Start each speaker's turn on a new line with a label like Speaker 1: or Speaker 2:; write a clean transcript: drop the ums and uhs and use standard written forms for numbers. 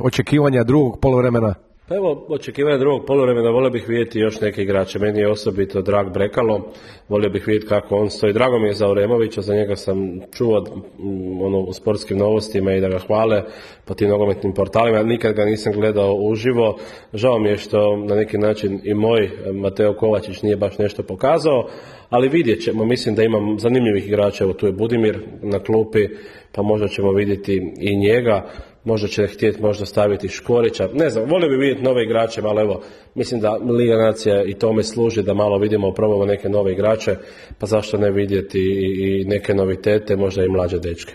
Speaker 1: očekivanja drugog poluvremena?
Speaker 2: Pa evo, očekivanja drugog poluvremena, volio bih vidjeti još neke igrače. Meni je osobito drag Brekalo, volio bih vidjeti kako on stoji. Drago mi je za Oremovića, za njega sam čuo u sportskim novostima i da ga hvale po tim nogometnim portalima. Nikad ga nisam gledao uživo. Žao mi je što na neki način i moj Mateo Kovačić nije baš nešto pokazao, ali vidjet ćemo. Mislim da imam zanimljivih igrača. Evo tu je Budimir na klupi, pa možda ćemo vidjeti i njega. Možda će htjeti možda staviti Škorića, ne znam, volio bi vidjeti nove igrače, ali evo, mislim da Liga nacija i tome služi da malo vidimo, probamo neke nove igrače, pa zašto ne vidjeti i neke novitete, možda i mlađe dečke.